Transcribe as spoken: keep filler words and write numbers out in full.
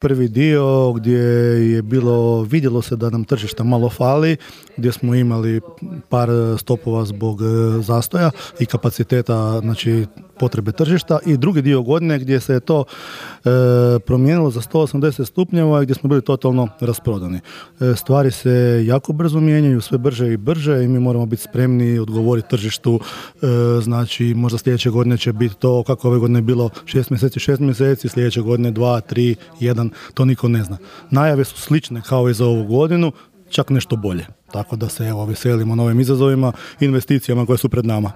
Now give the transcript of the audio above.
Prvi dio gdje je bilo, vidjelo se da nam tržišta malo fali, gdje smo imali par stopova zbog zastoja i kapaciteta, znači potrebe tržišta, i drugi dio godine gdje se je to e, promijenilo za sto osamdeset stupnjeva i gdje smo bili totalno rasprodani. E, stvari se jako brzo mijenjaju, sve brže i brže, i mi moramo biti spremni odgovoriti tržištu. E, znači možda sljedeće godine će biti to kako ove godine je bilo šest mjeseci, šest mjeseci, sljedeće godine dva, tri, jedan, to niko ne zna. Najave su slične kao i za ovu godinu, čak nešto bolje. Tako da se evo veselimo novim izazovima, investicijama koje su pred nama.